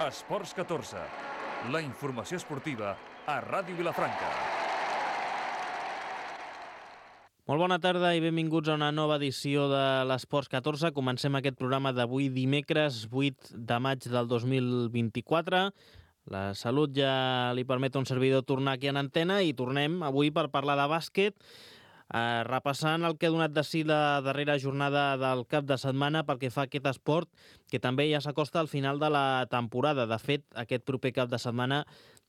Esports 14, la informació esportiva a Ràdio Vilafranca. Molt bona tarda i benvinguts a una nova edició de l'Esports 14. Comencem aquest programa d'avui dimecres 8 de maig del 2024. La salut ja li permet a un servidor tornar aquí en antena i tornem avui per parlar de bàsquet, repassant el que ha donat de si la darrera jornada del cap de setmana pel que fa a aquest esport, que també ja s'acosta al final de la temporada. De fet, aquest proper cap de setmana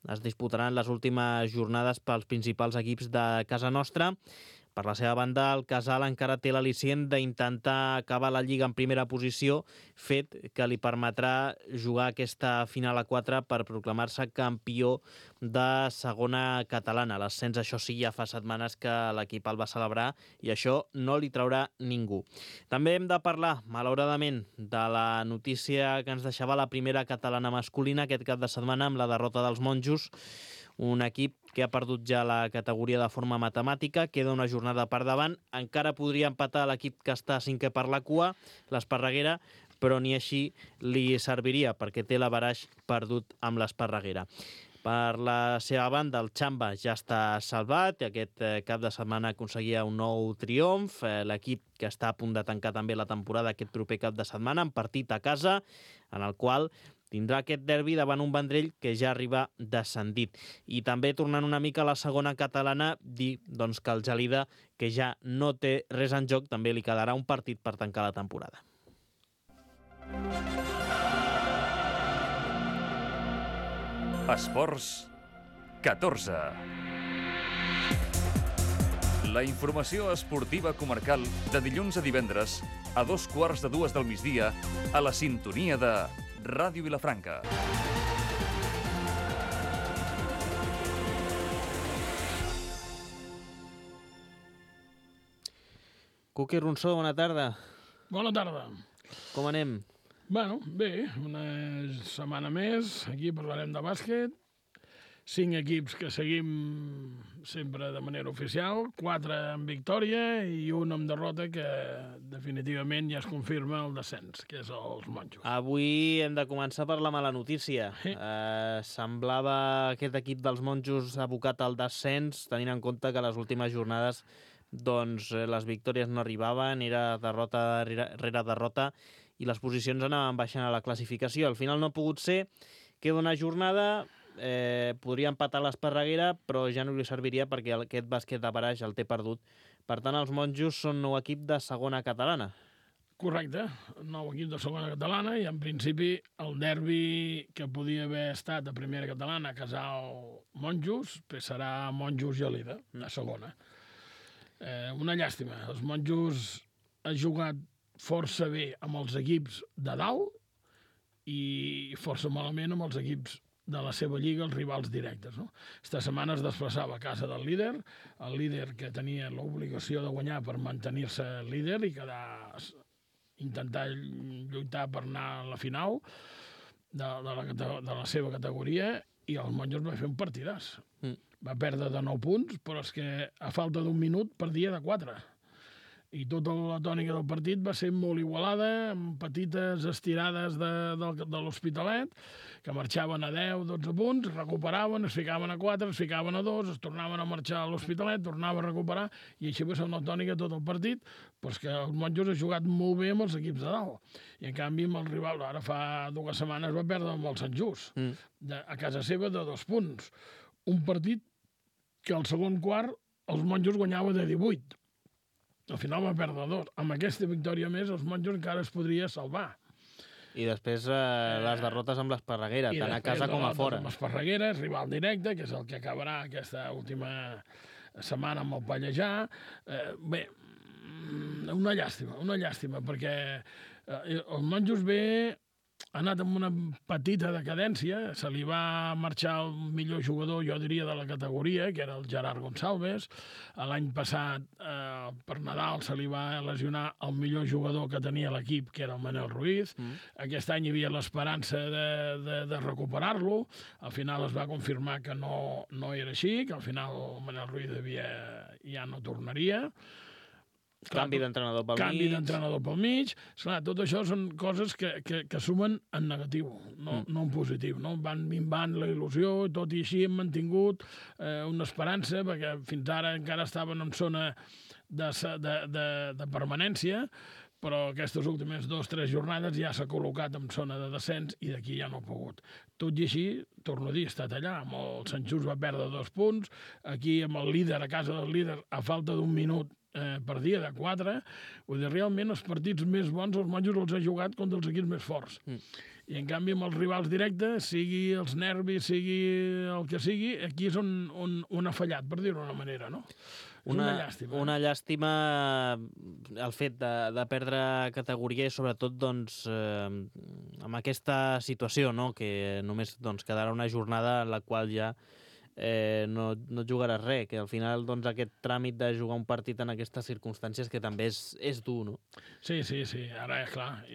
es disputaran les últimes jornades pels principals equips de casa nostra. Per la seva banda, el Casal encara té l'al·licient d'intentar acabar la Lliga en primera posició, fet que li permetrà jugar aquesta final a 4 per proclamar-se campió de segona catalana. L'ascens, això sí, ja fa setmanes que l'equip el va celebrar i això no li traurà ningú. També hem de parlar, malauradament, de la notícia que ens deixava la primera catalana masculina aquest cap de setmana amb la derrota dels monjos, un equip que ha perdut ja la categoria de forma matemàtica, queda una jornada per davant, encara podria empatar l'equip que està cinquè per la cua, l'Esparreguera, però ni així li serviria perquè té l'averaix perdut amb l'Esparreguera. Per la seva banda, el Xamba ja està salvat i aquest cap de setmana aconseguia un nou triomf. L'equip que està a punt de tancar també la temporada aquest proper cap de setmana, en partit a casa, en el qual tindrà aquest derbi davant un Vendrell que ja arriba descendit. I també, tornant una mica a la segona catalana, dir que el Gelida, que ja no té res en joc, també li quedarà un partit per tancar la temporada. Esports 14. La informació esportiva comarcal de dilluns a divendres a 2:15 del migdia a la sintonia de Ràdio Vilafranca. Cuqui Ronsó, bona tarda. Bona tarda. Com anem? Bueno, bé, una setmana més, aquí parlarem de bàsquet. 5 equips que seguim sempre de manera oficial, 4 amb victòria i un amb derrota que definitivament ja es confirma el descens, que és els monjos. Avui hem de començar per la mala notícia. Semblava aquest equip dels monjos abocat al descens, tenint en compte que les últimes jornades les victòries no arribaven, era derrota rere derrota i les posicions anaven baixant a la classificació. Al final no ha pogut ser, queda una jornada, podria empatar l'Esparreguera, però ja no li serviria perquè aquest bàsquet de Baraix el té perdut. Per tant, els monjos són nou equip de segona catalana. Correcte, nou equip de segona catalana i en principi el derbi que podia haver estat a primera catalana, Casal-Monjos, serà Monjos-Gelida, a segona. Una llàstima, els monjos han jugat força bé amb els equips de dalt i força malament amb els equips de la seva lliga, els rivals directes. No? Esta setmana es desplaçava a casa del líder, el líder que tenia l'obligació de guanyar per mantenir-se líder i intentar lluitar per anar a la final de la seva categoria, i els monjos va fer un partidàs. Va perdre de 9 punts, però és que a falta d'un minut perdia de 4. I tota la tònica del partit va ser molt igualada, amb petites estirades de l'Hospitalet, que marxaven a 10-12 punts, recuperaven, es ficaven a 4, es ficaven a 2, es tornaven a marxar a l'Hospitalet, tornava a recuperar, i així va ser una tònica tot el partit, però és que els monjos han jugat molt bé amb els equips de dalt. I en canvi amb el rival, ara fa 2 setmanes va perdre amb el Sant Just, a casa seva de 2 punts. Un partit que al segon quart els monjos guanyaven de 18. Al final va perdre 2. Amb aquesta victòria més, els monjos encara es podria salvar. I després les derrotes amb l'Esparreguera, tant a casa com a fora. Amb l'Esparreguera, és rival directe, que és el que acabarà aquesta última setmana amb el Pallejà. Bé, una llàstima, perquè els monjos ha anat amb una petita decadència, se li va marxar el millor jugador, jo diria, de la categoria, que era el Gerard Gonçalves. L'any passat, per Nadal, se li va lesionar el millor jugador que tenia l'equip, que era el Manel Ruiz. Aquest any hi havia l'esperança de recuperar-lo. Al final es va confirmar que no era així, que al final el Manel Ruiz ja no tornaria. Canvi d'entrenador pel mig. Canvi d'entrenador pel mig. Esclar, tot això són coses que sumen en negatiu, no en positiu. No? Van minvant la il·lusió, tot i així hem mantingut una esperança, perquè fins ara encara estaven en zona de permanència, però aquestes últimes 2 o 3 jornades ja s'ha col·locat en zona de descens i d'aquí ja no ha pogut. Tot i així, torno a dir, ha estat allà. Amb el Sant Just va perdre 2 punts, aquí amb el líder, a casa del líder, a falta d'1 minut per dia de 4, vull dir, realment els partits més bons els monjos els ha jugat contra els equips més forts. I en canvi amb els rivals directes, sigui els nervis, sigui el que sigui, aquí és on ha fallat, per dir-ho d'una manera, no? Una llàstima. Una llàstima el fet de perdre categoria i sobretot doncs, amb aquesta situació, no? Que només doncs, quedarà una jornada en la qual ja no jugaràs res, que al final doncs, aquest tràmit de jugar un partit en aquestes circumstàncies que també és dur, no? Sí, ara, clar,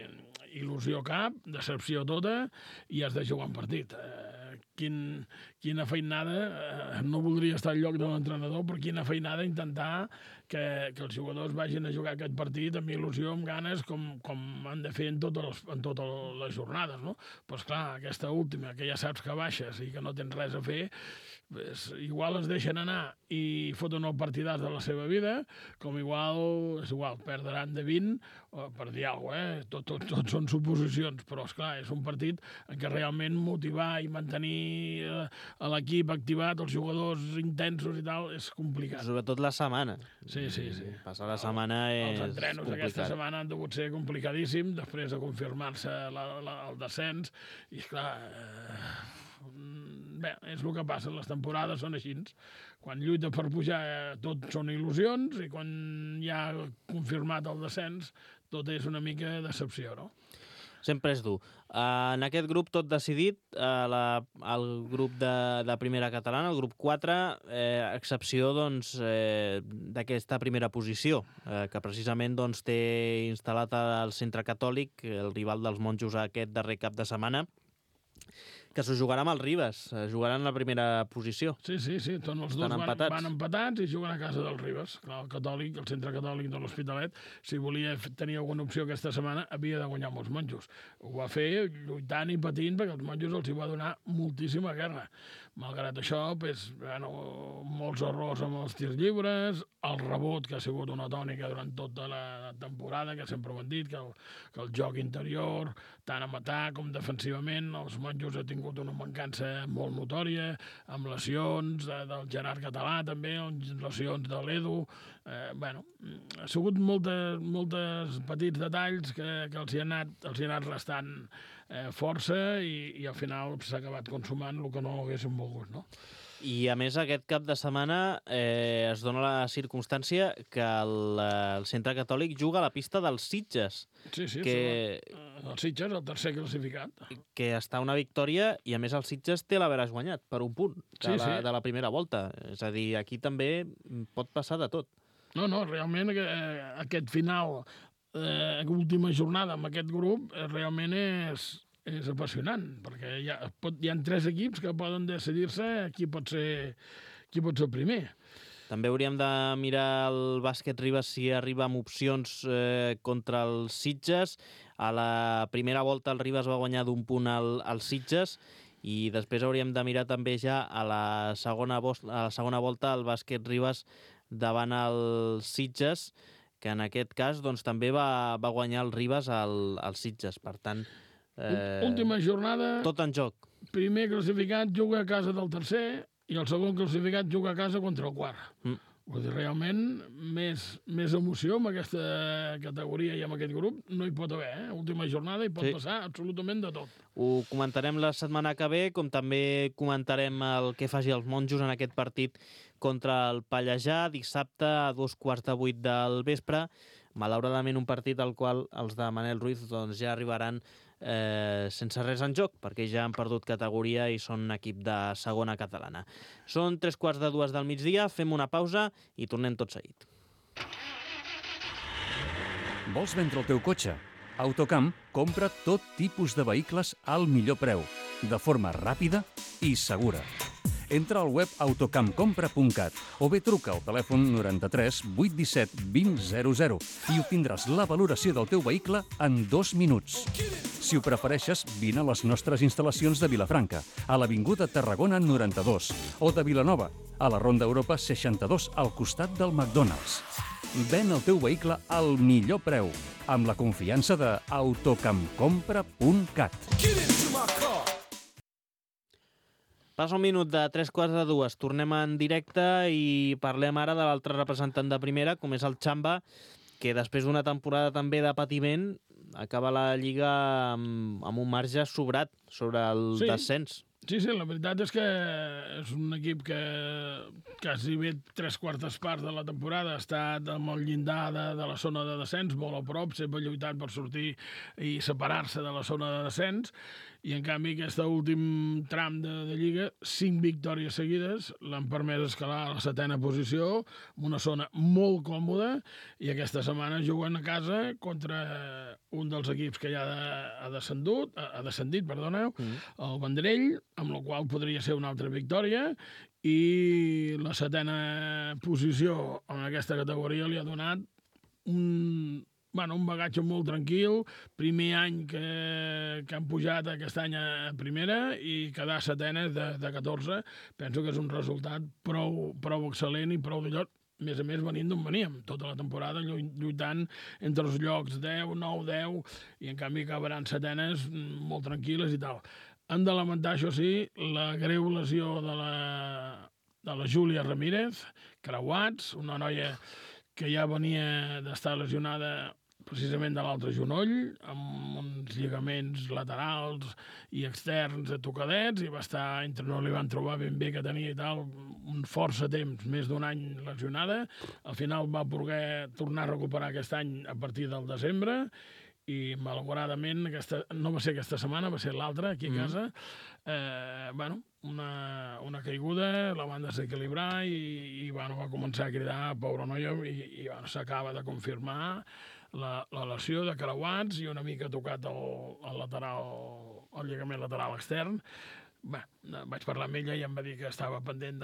il·lusió cap, decepció tota, i has de jugar un partit. Quina feinada, no voldria estar al lloc de l'entrenador, però quina feinada intentar que els jugadors vagin a jugar aquest partit amb il·lusió, amb ganes, com han de fer en totes les jornades, no? Però, esclar, aquesta última, que ja saps que baixes i que no tens res a fer, pues, igual es deixen anar i foten el partidàs de la seva vida, com és igual, perdran de 20, per dir alguna cosa, tot són suposicions, però, esclar, és un partit en què realment motivar i mantenir l'equip activat, els jugadors intensos i tal, és complicat. Sobretot la setmana. Sí. Passar la setmana és Els entrenos aquesta setmana han degut ser complicadíssims, després de confirmar-se el descens, i, esclar, bé, és el que passa, les temporades són així. Quan lluita per pujar tot són il·lusions i quan ja ha confirmat el descens tot és una mica decepció, no? Sempre és dur. En aquest grup tot decidit, el grup de primera catalana, el grup 4, excepció doncs, d'aquesta primera posició, que precisament doncs, té instal·lat el Centre Catòlic, el rival dels monjos aquest darrer cap de setmana, que s'ho jugarà amb el Ribes, jugaran la primera posició. Sí, tots els dos van empatats i juguen a casa del Ribes. Clar, el Centre Catòlic de l'Hospitalet, si volia tenir alguna opció aquesta setmana, havia de guanyar amb els monjos. Ho va fer lluitant i patint, perquè els monjos els hi va donar moltíssima guerra. Malgrat això, molts errors amb els tirs lliures, el rebot, que ha sigut una tònica durant tota la temporada, que sempre ho han dit, que el joc interior, tant a matar com defensivament, els monjos han tingut una mancança molt notòria, amb lesions del Gerard Català també, lesions de l'Edu. Ha sigut moltes petits detalls que els hi han anat restant força i al final s'ha acabat consumant el que no haguéssim volgut, no? I a més aquest cap de setmana es dona la circumstància que el Centre Catòlic juga a la pista dels Sitges. Sí, el Sitges, el tercer classificat. Que està una victòria i a més el Sitges té l'haveràs guanyat per un punt de la primera volta. És a dir, aquí també pot passar de tot. No, realment aquest final, última jornada amb aquest grup, realment és apassionant, perquè hi ha 3 equips que poden decidir-se qui pot ser el primer. També hauríem de mirar el bàsquet Ribes si arriba amb opcions contra els Sitges. A la primera volta el Ribes va guanyar d'1 punt als Sitges i després hauríem de mirar també ja a la segona volta el bàsquet Ribes davant els Sitges, que en aquest cas doncs, també va guanyar el Ribes als Sitges. Per tant, última jornada, tot en joc. Primer classificat juga a casa del tercer i el segon classificat juga a casa contra el quart. Vull dir, realment, més emoció amb aquesta categoria i amb aquest grup no hi pot haver. Última jornada hi pot passar absolutament de tot. Ho comentarem la setmana que ve, com també comentarem el que faci els monjos en aquest partit contra el Pallejà, dissabte a 7:15 del vespre. Malauradament un partit al qual els de Manel Ruiz doncs, ja arribaran sense res en joc, perquè ja han perdut categoria i són un equip de segona catalana. Són 3:15 del migdia, fem una pausa i tornem tot seguit. Vols vendre el teu cotxe? Autocamp compra tot tipus de vehicles al millor preu, de forma ràpida i segura. Entra al web autocampcompra.cat o bé truca al telèfon 93 817 2000 i obtindràs la valoració del teu vehicle en 2 minuts. Si ho prefereixes, vine a les nostres instal·lacions de Vilafranca, a l'Avinguda Tarragona 92, o de Vilanova, a la Ronda Europa 62, al costat del McDonald's. Ven el teu vehicle al millor preu, amb la confiança de autocampcompra.cat. Passa un minut de 3:45. Tornem en directe i parlem ara de l'altre representant de primera, com és el Xamba, que després d'una temporada també de patiment acaba la Lliga amb un marge sobrat sobre el descens. Sí, la veritat és que és un equip que quasi bé 3/4 parts de la temporada ha estat amb el llindar de la zona de descens, molt a prop, sempre lluitant per sortir i separar-se de la zona de descens, i en canvi aquest últim tram de Lliga, 5 victòries seguides l'han permès escalar a la 7a posició, en una zona molt còmoda, i aquesta setmana juguen a casa contra un dels equips que ja ha descendit, el Vendrell, amb la qual podria ser una altra victòria, i la 7a posició en aquesta categoria li ha donat un bagatge molt tranquil, primer any que han pujat aquest any a primera i quedar 7enes de 14, penso que és un resultat prou excel·lent i prou de lloc, a més venint d'on veníem, tota la temporada lluitant entre els llocs 10, 9, 10, i en canvi acabaran 7enes molt tranquil·les i tal. Han de lamentar, això sí, la greu lesió de la Júlia Ramírez, creuats, una noia que ja venia d'estar lesionada precisament de l'altre genoll, amb uns lligaments laterals i externs tocadets, i va estar, entre no li van trobar ben bé que tenia i tal, un força temps, més d'un any lesionada. Al final va poder tornar a recuperar aquest any a partir del desembre, i malauradament no va ser aquesta setmana, va ser l'altra, aquí a casa. Una caiguda, la van desequilibrar i va començar a cridar, pobra noia, i s'acaba de confirmar la lesió de creuats i una mica tocat el lligament lateral extern. Vaig parlar amb ella i em va dir que estava pendent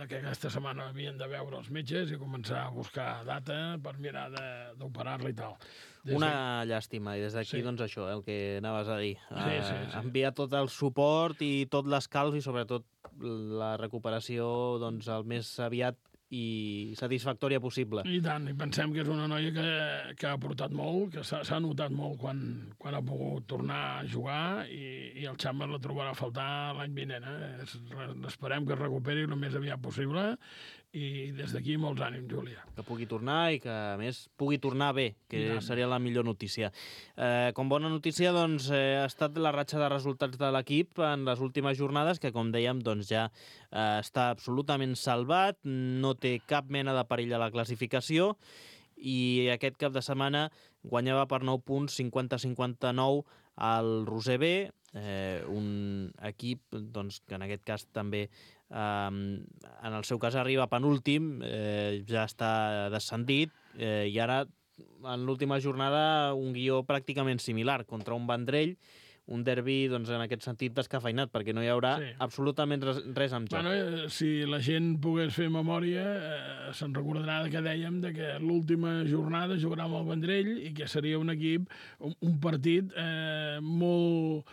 que aquesta setmana havien de veure els metges i començar a buscar data per mirar d'operar-la i tal. Una llàstima, i des d'aquí, doncs això, el que anaves a dir. Sí. Enviar tot el suport i tot l'escalf i sobretot la recuperació el més aviat i satisfactòria possible. I tant, i pensem que és una noia que ha aportat molt, que s'ha notat molt quan ha pogut tornar a jugar, i el Xamba la trobarà a faltar l'any vinent. Esperem que es recuperi el més aviat possible, i des d'aquí molts ànims, Júlia. Que pugui tornar i que, a més, pugui tornar bé, que seria la millor notícia. Com bona notícia, doncs, ha estat la ratxa de resultats de l'equip en les últimes jornades, que, com dèiem, doncs ja està absolutament salvat, no té cap mena de perill a la classificació, i aquest cap de setmana guanyava per 9 punts, 50-59 al Roser B, un equip que en aquest cas també en el seu cas arriba penúltim, ja està descendit, i ara en l'última jornada un guió pràcticament similar contra un Vendrell, un derbi en aquest sentit descafeinat, perquè no hi haurà absolutament res en joc. Si la gent pogués fer memòria, se'n recordarà que dèiem que l'última jornada jugarà amb el Vendrell i que seria un equip, un partit molt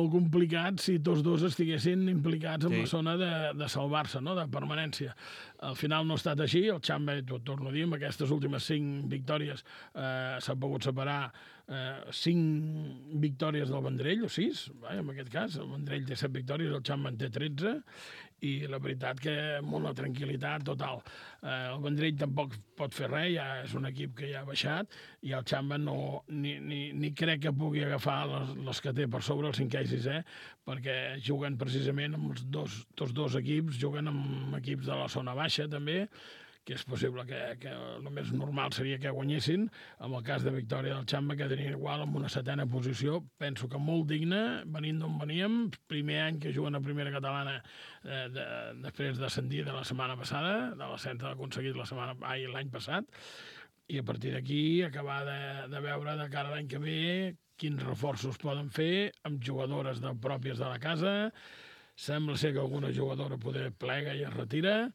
complicat si tots dos estiguessin implicats en la zona de salvar-se, de permanència. Al final no ha estat així, el Xamba, t'ho torno a dir, amb aquestes últimes 5 victòries s'ha pogut separar 5 victòries del Vendrell, o 6, en aquest cas, el Vendrell té 7 victòries, el Xamba en té 13, i la veritat que amb una tranquil·litat total. El Vendrell tampoc pot fer res, ja és un equip que ja ha baixat, i el Xamba ni crec que pugui agafar les que té per sobre, el 5è i 6è, perquè juguen precisament amb tots dos equips, juguen amb equips de la zona baixa també, que és possible que el més normal seria que guanyessin. En el cas de victòria del Xamba quedarien igual amb una 7a posició, penso que molt digna, venint d'on veníem, primer any que juguen a primera catalana després d'ascendir de la setmana passada, de l'ascens aconseguit l'any passat, i a partir d'aquí acabar de veure de cara a l'any que ve quins reforços poden fer amb jugadores pròpies de la casa, Sembla ser que alguna jugadora poder plega i es retira,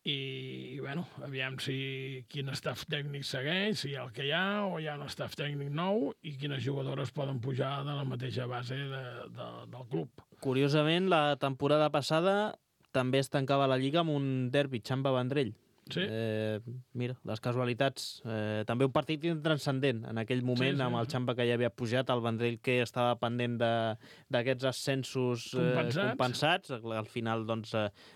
i bueno, aviam quin staff tècnic segueix, si hi ha el que hi ha o hi ha un staff tècnic nou i quines jugadores poden pujar de la mateixa base del club. Curiosament, la temporada passada també es tancava la Lliga amb un derbi Xamba-Vendrell. Sí. Mira, les casualitats. També un partit intranscendent en aquell moment, amb el Xamba que ja havia pujat, el Vendrell que estava pendent d'aquests ascensos compensats. Al final doncs,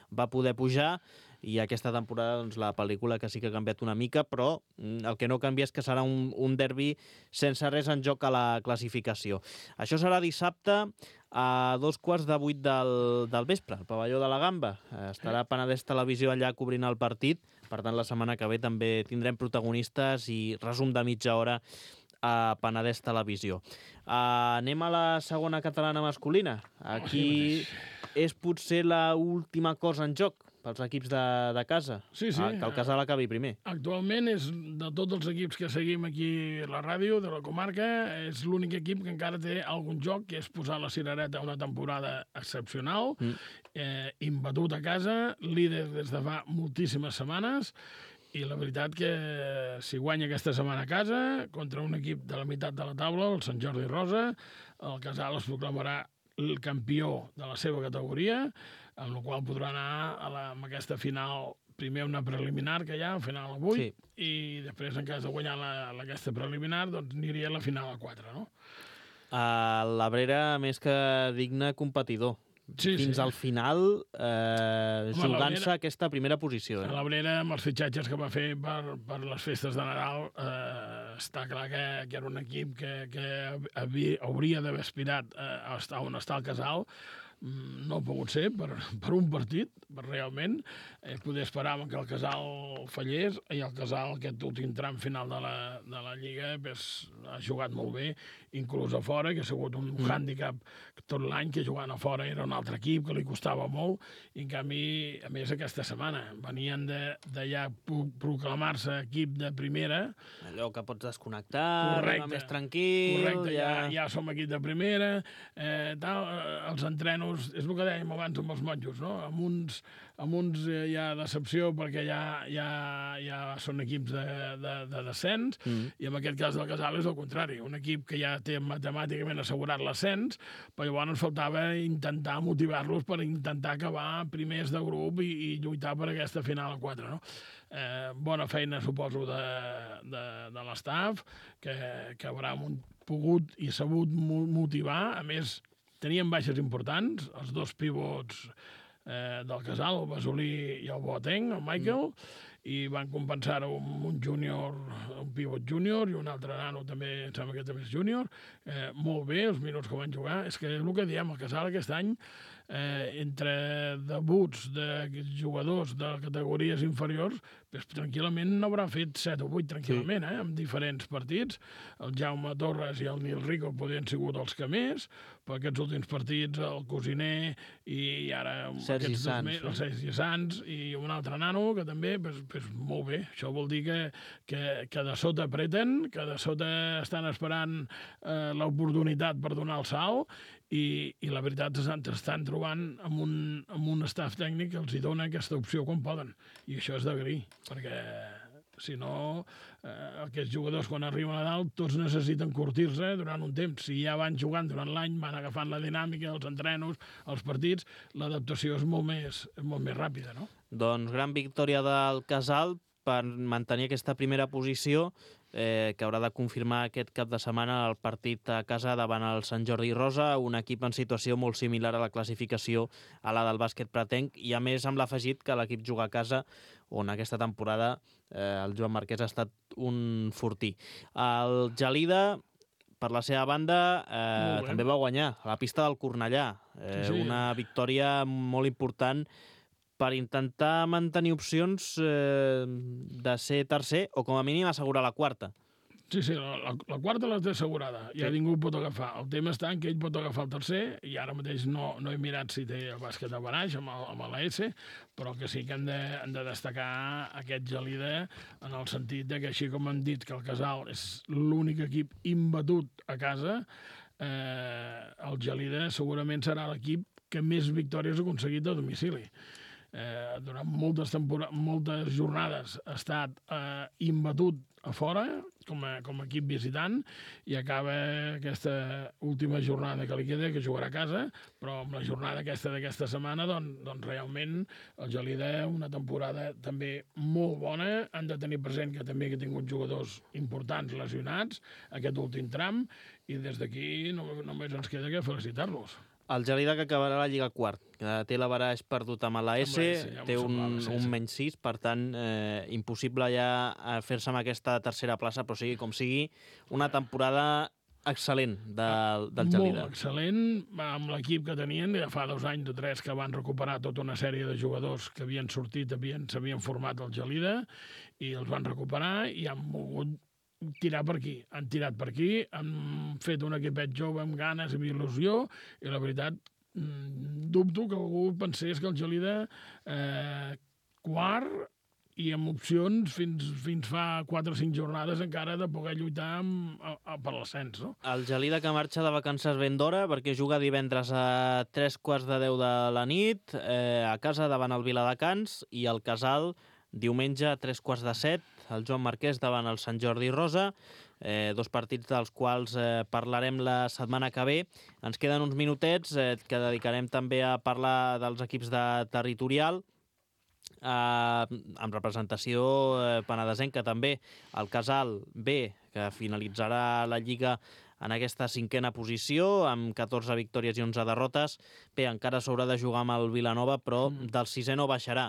va poder pujar, i aquesta temporada doncs, la pel·lícula que sí que ha canviat una mica, però el que no canvia és que serà un derbi sense res en joc a la classificació. Això serà dissabte a 7:15 del vespre, al pavelló de la Gamba. Estarà Penedès Televisió allà cobrint el partit, per tant la setmana que ve també tindrem protagonistes i resum de mitja hora a Penedès Televisió. Anem a la segona catalana masculina. Aquí és potser l'última cosa en joc pels equips de casa, sí. Que el Casal acabi primer. Actualment és de tots els equips que seguim aquí a la ràdio de la comarca, és l'únic equip que encara té algun joc, que és posar la cirereta una temporada excepcional, imbatut a casa, líder des de fa moltíssimes setmanes, i la veritat que si guanya aquesta setmana a casa contra un equip de la meitat de la taula, el Sant Jordi Rosa, el Casal es proclamarà el campió de la seva categoria, amb la qual podrà anar amb aquesta final, primer una preliminar que hi ha, final a 8, i després, en cas de guanyar aquesta preliminar, doncs aniria a la final a 4, no? L'Abrera, més que digne competidor. Fins al final, jugant-se aquesta primera posició. L'Abrera, amb els fitxatges que va fer per les festes de Nadal, està clar que era un equip que hauria d'haver aspirat a estar on està el Casal. No ha pogut ser per un partit, realment. Poder esperar que el Casal fallés, i el Casal, aquest últim tram final de la Lliga, ha jugat molt bé, inclús a fora, que ha sigut un hàndicap tot l'any, que jugant a fora era un altre equip, que li costava molt, i en canvi, a més, aquesta setmana venien de ja proclamar-se equip de primera. Allò que pots desconnectar, anar més tranquil... Correcte, ja som equip de primera, els entrenos, és el que dèiem abans amb els monjos, no? Amb uns hi ha decepció perquè ja són equips de descens, i en aquest cas del Casal és el contrari, un equip que ja té matemàticament assegurat l'ascens, però llavors faltava intentar motivar-los per intentar acabar primers de grup i lluitar per aquesta final a 4, no? Bona feina, suposo, de l'estaf, que haurà pogut i sabut motivar. A més, tenien baixes importants, els dos pivots del Casal, el Basolí i el Boateng, el Michael, i van compensar-ho amb un júnior, un pivot júnior, i un altre nano també, em sembla que també és júnior. Molt bé, els minuts que van jugar. És que és el que diem, el Casal aquest any, entre debuts de jugadors de categories inferiors, tranquil·lament n'haurà fet 7 o 8 tranquil·lament, en diferents partits. El Jaume Torres i el Nil Rico podrien sigut els que més, però aquests últims partits, el Cosiner i ara el Sergi Sans i un altre nano, que també, molt bé. Això vol dir que de sota apreten, que de sota estan esperant l'oportunitat per donar el salt, i la veritat és que estan trobant amb un staff tècnic que els hi dona aquesta opció quan poden, i això és d'agrair, perquè si no, aquests jugadors quan arriben a dalt tots necessiten curtir-se durant un temps. Si ja van jugant durant l'any, van agafant la dinàmica, els entrenos, els partits, l'adaptació és molt més ràpida, no? Doncs gran victòria del Casal per mantenir aquesta primera posició, que haurà de confirmar aquest cap de setmana el partit a casa davant el Sant Jordi Rosa, un equip en situació molt similar a la classificació a la del bàsquet pretenc, i a més amb l'afegit que l'equip juga a casa, on aquesta temporada el Joan Marquès ha estat un fortí. El Gelida, per la seva banda, també va guanyar a la pista del Cornellà, una victòria molt important per intentar mantenir opcions de ser tercer o com a mínim assegurar la quarta. Sí, la quarta la té assegurada, ja ningú pot agafar. El tema està en que ell pot agafar el tercer, i ara mateix no he mirat si té el bàsquet a Baraix amb l'AS, però que sí que hem de destacar aquest Gelida en el sentit de que, així com hem dit que el Casal és l'únic equip imbatut a casa, el Gelida segurament serà l'equip que més victòries ha aconseguit a domicili. Durant moltes jornades ha estat imbatut a fora com a equip visitant i acaba aquesta última jornada que li queda, que jugarà a casa, però amb la jornada d'aquesta setmana doncs realment el Gelida, una temporada també molt bona. Han de tenir present que també ha tingut jugadors importants lesionats aquest últim tram i des d'aquí només ens queda que felicitar-los. El Gelida, que acabarà la Lliga quart, que té l'averaix perdut amb la S, té un menys 6, per tant, impossible ja fer-se amb aquesta tercera plaça, però sigui com sigui, una temporada excel·lent del Gelida. Molt excel·lent, amb l'equip que tenien, ja fa 2 anys o 3 que van recuperar tota una sèrie de jugadors que havien sortit, s'havien format al Gelida, i els van recuperar i han volgut tirar per aquí. Han tirat per aquí, han fet un equipet jove amb ganes i il·lusió, i la veritat, dubto que algú pensés que el Gelida quart i amb opcions fins fa 4 o 5 jornades encara de poder lluitar per l'ascens, no? El Gelida que marxa de vacances ben d'hora perquè juga divendres a 3:45 de la nit a casa davant el Viladecans, i el Casal diumenge a 3:45, el Joan Marquès davant el Sant Jordi Rosa, 2 partits dels quals parlarem la setmana que ve. Ens queden uns minutets que dedicarem també a parlar dels equips de territorial, amb representació penedesenca també. El Casal B, que finalitzarà la Lliga en aquesta 5a posició, amb 14 victòries i 11 derrotes. Bé, encara s'haurà de jugar amb el Vilanova, però del 6è no baixarà.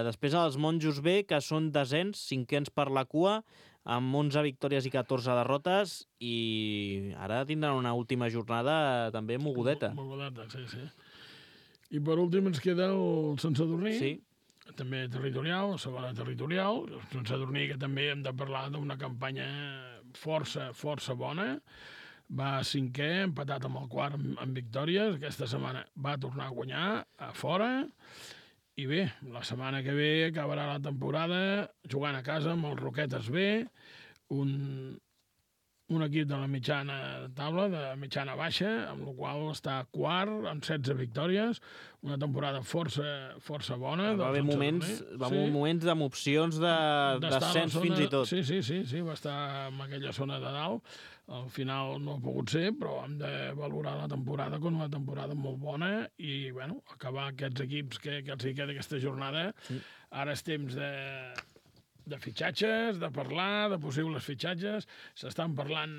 Després els Monjos B, que són desens, 5ens per la cua, amb 11 victòries i 14 derrotes, i ara tindran una última jornada també mogudeta. Mogudeta, sí. I per últim ens queda el Sant Sadurní, sí, també territorial, segona territorial. El Sant Sadurní, que també hem de parlar d'una campanya força bona. Va 5è, empatat amb el quart en victòries. Aquesta setmana va tornar a guanyar a fora. I bé, la setmana que ve acabarà la temporada jugant a casa amb els Roquetes B, un equip de la mitjana taula, de mitjana baixa, amb la qual està quart, amb 16 victòries, una temporada força bona. Va haver moments amb opcions d'ascens fins i tot. Sí, va estar en aquella zona de dalt. Al final no ha pogut ser, però hem de valorar la temporada com una temporada molt bona i, bueno, acabar aquests equips que els hi queda aquesta jornada. Ara és temps de fitxatges, de parlar de possibles fitxatges. S'estan parlant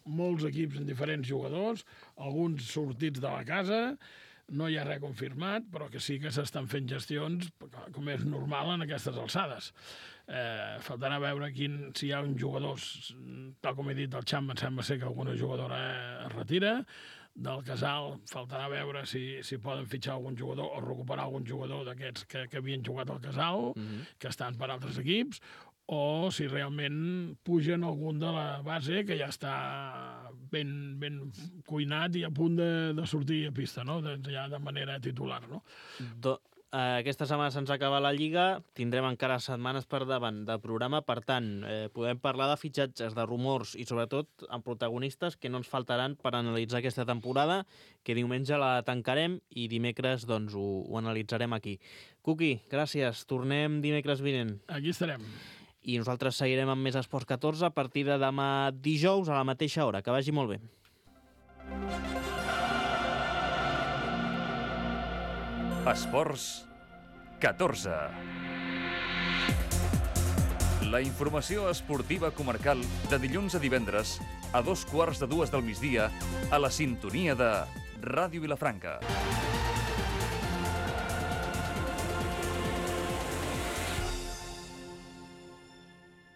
molts equips en diferents jugadors, alguns sortits de la casa. No hi ha res confirmat, però que sí que s'estan fent gestions, com és normal en aquestes alçades. Faltarà veure si hi ha uns jugadors, tal com he dit, del Xamp em sembla ser que alguna jugadora es retira. Del Casal faltarà veure si poden fitxar algun jugador o recuperar algun jugador d'aquests que havien jugat al Casal, que estan per altres equips, o si realment pugen algun de la base que ja està ben cuinat i a punt de sortir a pista, no? Ja de manera titular, no? Aquesta setmana se'ns acaba la Lliga, tindrem encara setmanes per davant de programa, per tant, podem parlar de fitxatges, de rumors i sobretot amb protagonistes que no ens faltaran per analitzar aquesta temporada, que diumenge la tancarem i dimecres doncs, ho analitzarem aquí. Cuqui, gràcies, tornem dimecres vinent. Aquí estarem. I nosaltres seguirem amb més Esports 14 a partir de demà dijous a la mateixa hora. Que vagi molt bé. Esports 14. La informació esportiva comarcal de dilluns a divendres a 2:15 del migdia a la sintonia de Ràdio Vilafranca.